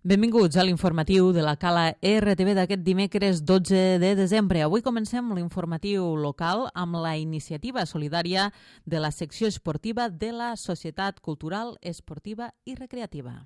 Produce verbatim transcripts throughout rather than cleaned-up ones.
Benvinguts a l'informatiu de la Cala R T V d'aquest dimecres dotze de desembre. Avui comencem l'informatiu local amb la iniciativa solidària de la secció esportiva de la Societat Cultural Esportiva i Recreativa.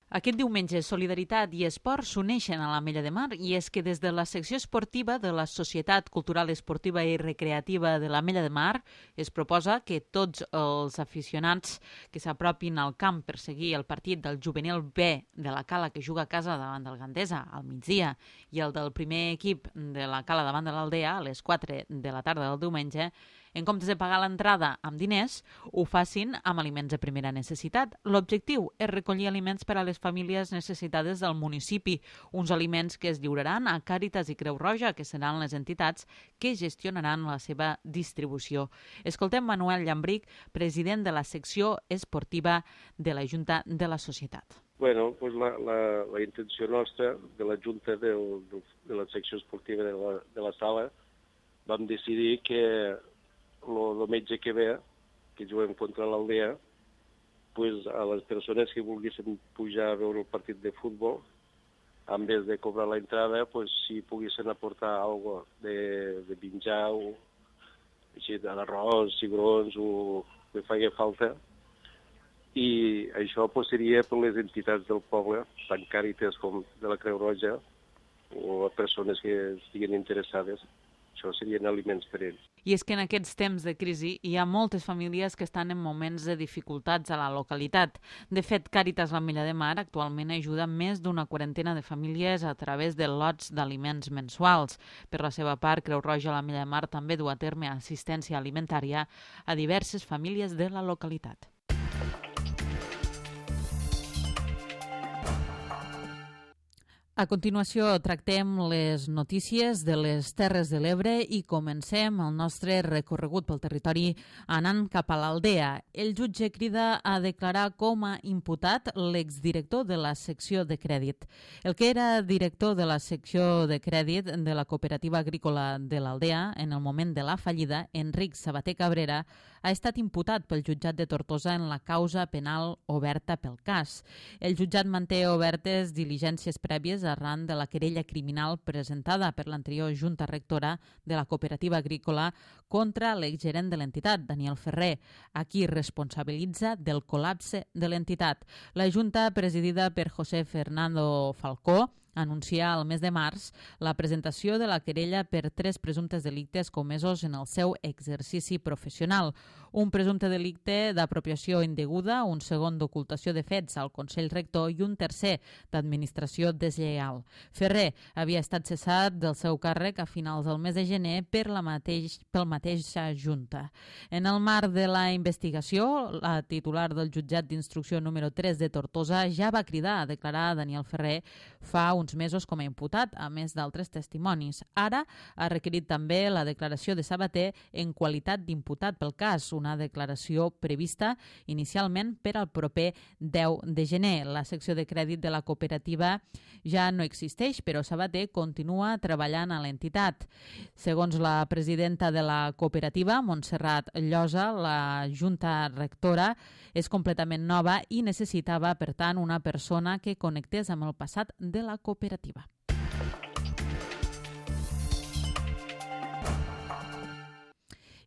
Aquest diumenge, solidaritat i esport s'uneixen a l'Ametlla de Mar i és que des de la secció esportiva de la Societat Cultural Esportiva i Recreativa de l'Ametlla de Mar es proposa que tots els aficionats que s'apropin al camp per seguir el partit del juvenil B de la Cala que juga a casa davant del Gandesa al migdia i el del primer equip de la Cala davant de l'Aldea a les quatre de la tarda del diumenge, en comptes de pagar l'entrada amb diners, ho facin amb aliments de primera necessitat. L'objectiu és recollir aliments per a les famílies necessitades del municipi, uns aliments que es lliuraran a Càritas i Creu Roja, que seran les entitats que gestionaran la seva distribució. Escoltem Manuel Llambric, president de la secció esportiva de la Junta de la Societat. Bueno, pues la, la, la intenció nostra de la Junta del, del, de la secció esportiva de la, de la sala vam decidir que el metge que ve, que juguem contra l'Aldea, pues a les persones que volguessin pujar a veure el partit de futbol, en vez de cobrar la entrada, pues si poguessin aportar algo de, de menjar o així, d'arròs, cigrons o que faci falta. I això pues, seria per les entitats del poble, tant Càritas com de la Creu Roja, o a persones que estiguin interessades. Això serien aliments per ells. I és que en aquests temps de crisi hi ha moltes famílies que estan en moments de dificultats a la localitat. De fet, Càritas l'Ametlla de Mar actualment ajuda més d'una quarantena de famílies a través de lots d'aliments mensuals. Per la seva part, Creu Roja l'Ametlla de Mar també du a terme assistència alimentària a diverses famílies de la localitat. A continuació tractem les notícies de les Terres de l'Ebre i comencem el nostre recorregut pel territori anant cap a l'Aldea. El jutge crida a declarar com a imputat l'exdirector de la secció de crèdit. El que era director de la secció de crèdit de la cooperativa agrícola de l'Aldea en el moment de la fallida, Enric Sabater Cabrera, ha estat imputat pel jutjat de Tortosa en la causa penal oberta pel cas. El jutjat manté obertes diligències prèvies arran de la querella criminal presentada per l'anterior junta rectora de la cooperativa agrícola contra l'exgerent de l'entitat, Daniel Ferrer, a qui responsabilitza del col·lapse de l'entitat. La junta, presidida per José Fernando Falcó, anuncia al mes de març la presentació de la querella per tres presumptes delictes comesos en el seu exercici professional. Un presumpte delicte d'apropiació indeguda, un segon d'ocultació de fets al Consell Rector i un tercer d'administració deslleial. Ferrer havia estat cessat del seu càrrec a finals del mes de gener per la mateix, pel mateixa Junta. En el marc de la investigació, la titular del jutjat d'instrucció número tres de Tortosa ja va cridar a declarar a Daniel Ferrer fa uns mesos com a imputat, a més d'altres testimonis. Ara ha requerit també la declaració de Sabater en qualitat d'imputat pel cas, una declaració prevista inicialment per al proper deu de gener. La secció de crèdit de la cooperativa ja no existeix, però Sabater continua treballant a l'entitat. Segons la presidenta de la cooperativa, Montserrat Llosa, la junta rectora és completament nova i necessitava, per tant, una persona que connectés amb el passat de la cooperativa.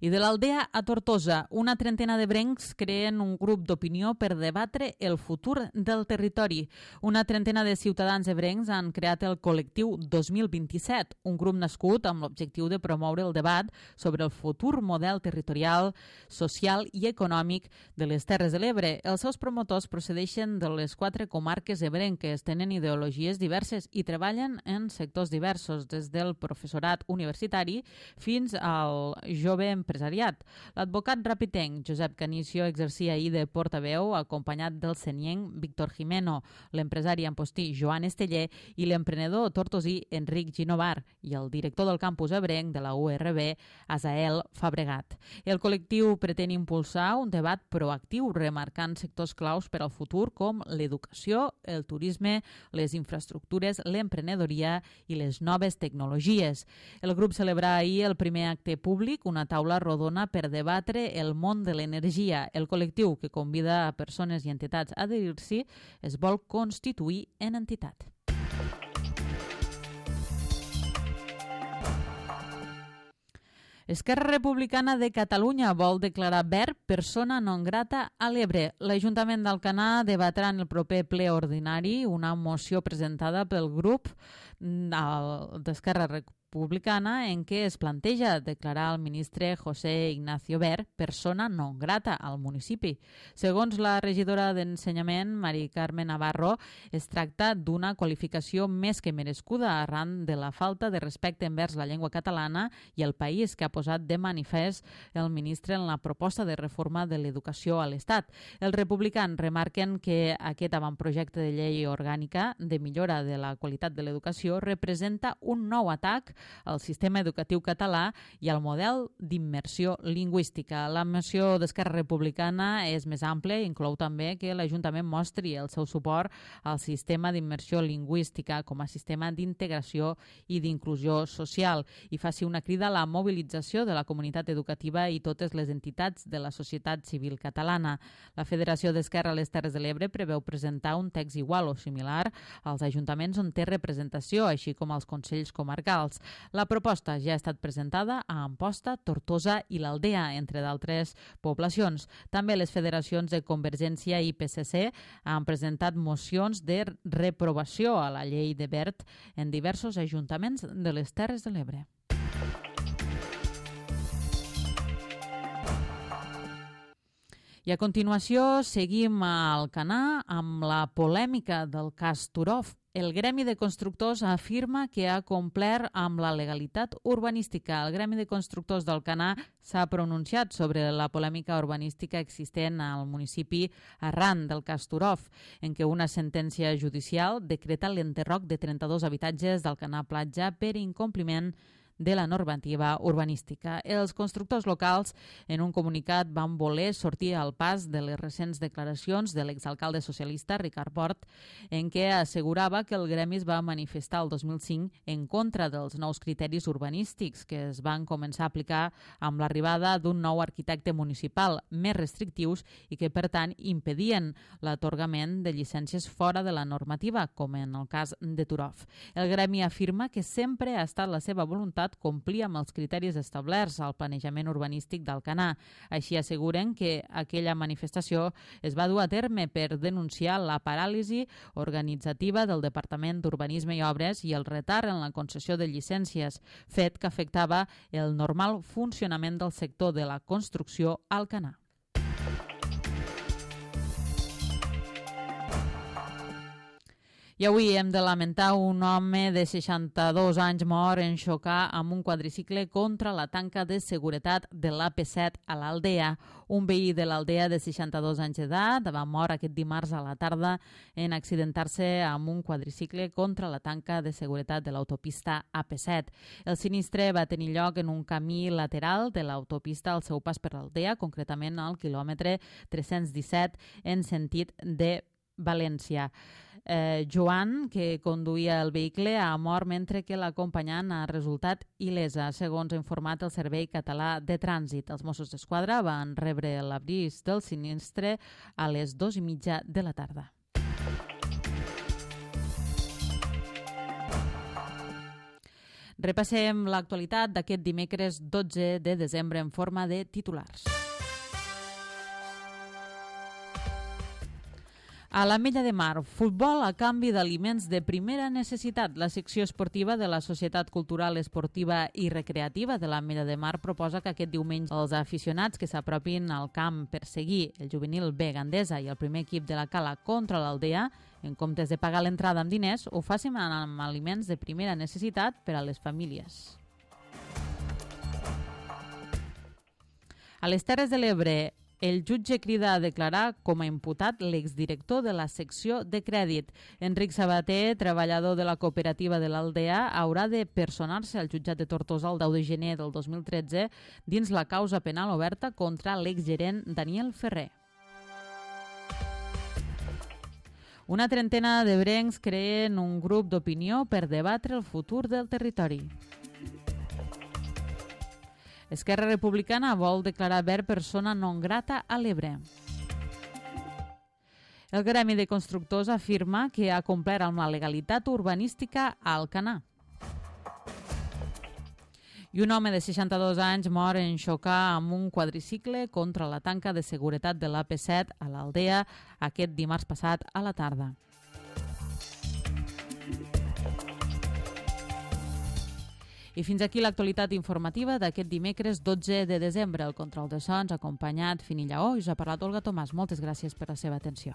I de l'Aldea a Tortosa, una trentena de brencs creen un grup d'opinió per debatre el futur del territori. Una trentena de ciutadans ebrencs han creat el col·lectiu dos mil vint-i-set, un grup nascut amb l'objectiu de promoure el debat sobre el futur model territorial, social i econòmic de les Terres de l'Ebre. Els seus promotors procedeixen de les quatre comarques ebrenques, tenen ideologies diverses i treballen en sectors diversos, des del professorat universitari fins al jove empresari empresariat. L'advocat rapitenc Josep Canicio exercia ahir de portaveu acompanyat del senienc Víctor Jimeno, l'empresari ampostí Joan Esteller i l'emprenedor tortosí Enric Ginovar i el director del campus ebrenc de la U R B, Asael Fabregat. El col·lectiu pretén impulsar un debat proactiu remarcant sectors claus per al futur com l'educació, el turisme, les infraestructures, l'emprenedoria i les noves tecnologies. El grup celebrà ahir el primer acte públic, una taula rodona per debatre el món de l'energia. El col·lectiu, que convida a persones i entitats a adherir-s'hi, es vol constituir en entitat. Esquerra Republicana de Catalunya vol declarar Wert persona non grata a l'Ebre. L'Ajuntament d'Alcanar debatrà en el proper ple ordinari una moció presentada pel grup d'Esquerra Republicana en què es planteja declarar el ministre José Ignacio Wert persona non grata al municipi. Segons la regidora d'Ensenyament, Mari Carme Navarro, es tracta d'una qualificació més que merescuda arran de la falta de respecte envers la llengua catalana i el país que ha posat de manifest el ministre en la proposta de reforma de l'educació a l'Estat. Els republicans remarquen que aquest avantprojecte de llei orgànica de millora de la qualitat de l'educació representa un nou atac al sistema educatiu català i al model d'immersió lingüística. La moció d'Esquerra Republicana és més àmplia i inclou també que l'Ajuntament mostri el seu suport al sistema d'immersió lingüística com a sistema d'integració i d'inclusió social i faci una crida a la mobilització de la comunitat educativa i totes les entitats de la societat civil catalana. La Federació d'Esquerra a les Terres de l'Ebre preveu presentar un text igual o similar als ajuntaments on té representació, així com als consells comarcals. La proposta ja ha estat presentada a Amposta, Tortosa i l'Aldea, entre d'altres poblacions. També les federacions de Convergència i P S C han presentat mocions de reprovació a la llei de Wert en diversos ajuntaments de les Terres de l'Ebre. I a continuació seguim a Alcanar amb la polèmica del cas Turov. El Gremi de Constructors afirma que ha complert amb la legalitat urbanística. El Gremi de Constructors d'Alcanar s'ha pronunciat sobre la polèmica urbanística existent al municipi arran del cas Turov, en què una sentència judicial decreta l'enderroc de trenta-dos habitatges d'Alcanar Platja per incompliment de la normativa urbanística. Els constructors locals, en un comunicat, van voler sortir al pas de les recents declaracions de l'exalcalde socialista Ricard Port, en què assegurava que el gremi es va manifestar el dos mil cinc en contra dels nous criteris urbanístics que es van començar a aplicar amb l'arribada d'un nou arquitecte municipal més restrictius i que, per tant, impedien l'atorgament de llicències fora de la normativa, com en el cas de Turov. El gremi afirma que sempre ha estat la seva voluntat complir amb els criteris establerts al planejament urbanístic d'Alcanar. Així asseguren que aquella manifestació es va dur a terme per denunciar la paràlisi organitzativa del Departament d'Urbanisme i Obres i el retard en la concessió de llicències, fet que afectava el normal funcionament del sector de la construcció a Alcanar. I avui hem de lamentar un home de seixanta-dos anys mort en xocar amb un quadricicle contra la tanca de seguretat de l'A P set a l'Aldea. Un veí de l'Aldea de seixanta-dos anys d'edat va mort aquest dimarts a la tarda en accidentar-se amb un quadricicle contra la tanca de seguretat de l'autopista A P set. El sinistre va tenir lloc en un camí lateral de l'autopista al seu pas per l'Aldea, concretament al quilòmetre tres-cents disset en sentit de València. Eh, Joan, que conduïa el vehicle, ha mort mentre que l'acompanyant ha resultat il·lesa, segons ha informat el Servei Català de Trànsit. Els Mossos d'Esquadra van rebre l'avís del sinistre a les dues i mitja de la tarda. Repassem l'actualitat d'aquest dimecres dotze de desembre en forma de titulars. A l'Ametlla de Mar, futbol a canvi d'aliments de primera necessitat. La secció esportiva de la Societat Cultural Esportiva i Recreativa de l'Ametlla de Mar proposa que aquest diumenge els aficionats que s'apropin al camp per seguir el juvenil B Gandesa i el primer equip de la Cala contra l'Aldea, en comptes de pagar l'entrada amb diners, ho facin amb aliments de primera necessitat per a les famílies. A les Terres de l'Ebre, el jutge crida a declarar com a imputat l'exdirector de la secció de crèdit. Enric Sabater, treballador de la cooperativa de l'Aldea, haurà de personar-se al jutjat de Tortosa el deu de gener del dos mil tretze dins la causa penal oberta contra l'exgerent Daniel Ferrer. Una trentena d'ebrencs creen un grup d'opinió per debatre el futur del territori. Esquerra Republicana vol declarar Wert persona non grata a l'Ebre. El gremi de constructors afirma que ha complert amb la legalitat urbanística a Alcanar. I un home de seixanta-dos anys mor en xocar amb un quadricicle contra la tanca de seguretat de l'A P set a l'Aldea aquest dimarts passat a la tarda. I fins aquí l'actualitat informativa d'aquest dimecres dotze de desembre. El control de sons ha acompanyat Fini Lleó i us ha parlat Olga Tomàs. Moltes gràcies per la seva atenció.